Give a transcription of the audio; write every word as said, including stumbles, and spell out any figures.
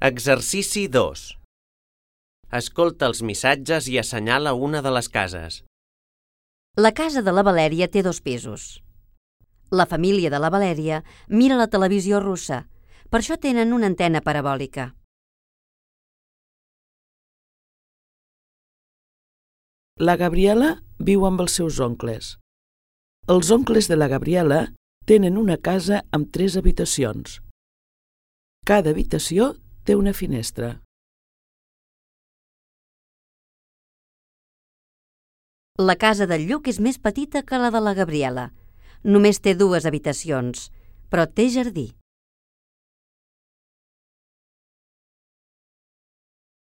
Exercici dos. Escolta els missatges i assenyala una de les cases. La casa de la Valèria té dos pisos. La família de la Valèria mira la televisió russa, per això tenen una antena parabòlica. La Gabriela viu amb els seus oncles. Els oncles de la Gabriela tenen una casa amb tres habitacions. Cada habitació té una finestra. La casa del Lluc és més petita que la de la Gabriela. Només té dues habitacions, però té jardí.